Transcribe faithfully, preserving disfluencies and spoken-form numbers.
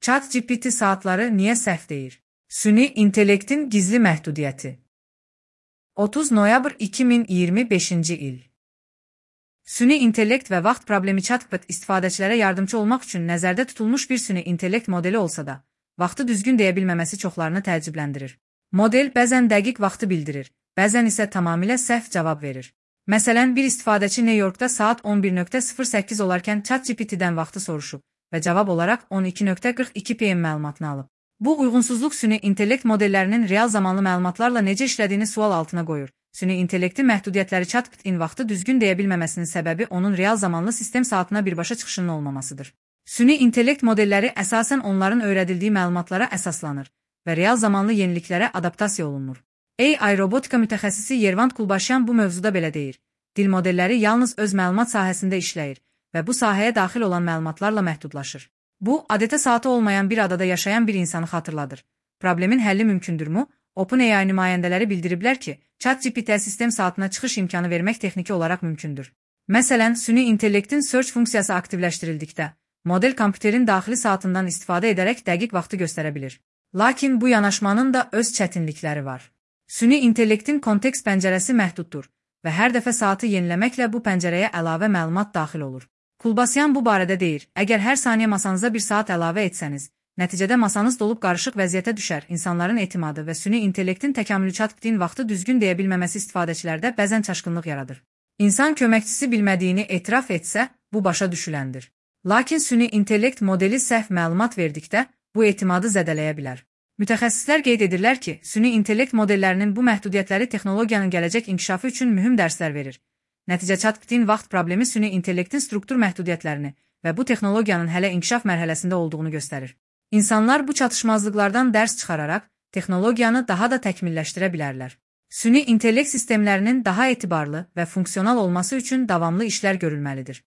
ChatGPT saatları niyə səhv deyir? Süni intellektin gizli məhdudiyyəti. otuz noyabr iki min iyirmi beşinci il. Süni intellekt və vaxt problemi ChatGPT istifadəçilərə yardımcı olmaq üçün nəzərdə tutulmuş bir süni intellekt modeli olsa da, vaxtı düzgün deyə bilməməsi çoxlarını təəccübləndirir. Model bəzən dəqiq vaxtı bildirir, bəzən isə tamamilə səhv cavab verir. Məsələn, bir istifadəçi New Yorkda saat on bir nöqtə sıfır səkkiz olarkən ChatGPT-dən vaxtı soruşub və cavab olaraq on iki nöqtə qırx iki p m məlumatını alıb. Bu uyğunsuzluq süni intellekt modellərinin real zamanlı məlumatlarla necə işlədiyini sual altına qoyur. Süni intellektin məhdudiyyətləri ChatGPT-in vaxtı düzgün deyə bilməməsinin səbəbi onun real zamanlı sistem saatına birbaşa çıxışının olmamasıdır. Süni intellekt modelləri əsasən onların öyrədildiyi məlumatlara əsaslanır və real zamanlı yeniliklərə adaptasiya olunur. A I robotika mütəxəssisi Yervant Kulbaşyan bu mövzuda belə deyir. Dil modelləri yalnız öz məlumat sahəsində işləyir və bu sahəyə daxil olan məlumatlarla məhdudlaşır. Bu, adətə saatı olmayan bir adada yaşayan bir insanı xatırladır. Problemin həlli mümkündürmü? OpenAI nümayəndələri bildiriblər ki, ChatGPT-ə sistem saatına çıxış imkanı vermək texniki olaraq mümkündür. Məsələn, süni intellektin search funksiyası aktivləşdirildikdə, model kompüterin daxili saatından istifadə edərək dəqiq vaxtı göstərə bilir. Lakin bu yanaşmanın da öz çətinlikləri var. Süni intellektin kontekst pəncərəsi məhduddur və hər dəfə saatı yeniləməklə bu pəncərəyə əlavə məlumat daxil olur. Kulbasyan bu barədə deyir, əgər hər saniyə masanıza bir saat əlavə etsəniz, nəticədə masanız dolub qarışıq vəziyyətə düşər, insanların etimadı və süni intellektin təkamülü ChatGPT-in vaxtı düzgün deyə bilməməsi istifadəçilərdə bəzən çaşqınlıq yaradır. İnsan köməkçisi bilmədiyini etiraf etsə, bu başa düşüləndir. Lakin süni intellekt modeli səhv məlumat verdikdə, bu etimadı zədələyə bilər. Mütəxəssislər qeyd edirlər ki, süni intellekt modellərinin bu məhdudiyyətləri texnologiyanın gələcək inkişafı üçün mühüm dərslər verir. Nəticə ChatGPT-in vaxt problemi süni intellektin struktur məhdudiyyətlərini və bu texnologiyanın hələ inkişaf mərhələsində olduğunu göstərir. İnsanlar bu çatışmazlıqlardan dərs çıxararaq texnologiyanı daha da təkmilləşdirə bilərlər. Süni intellekt sistemlərinin daha etibarlı və funksional olması üçün davamlı işlər görülməlidir.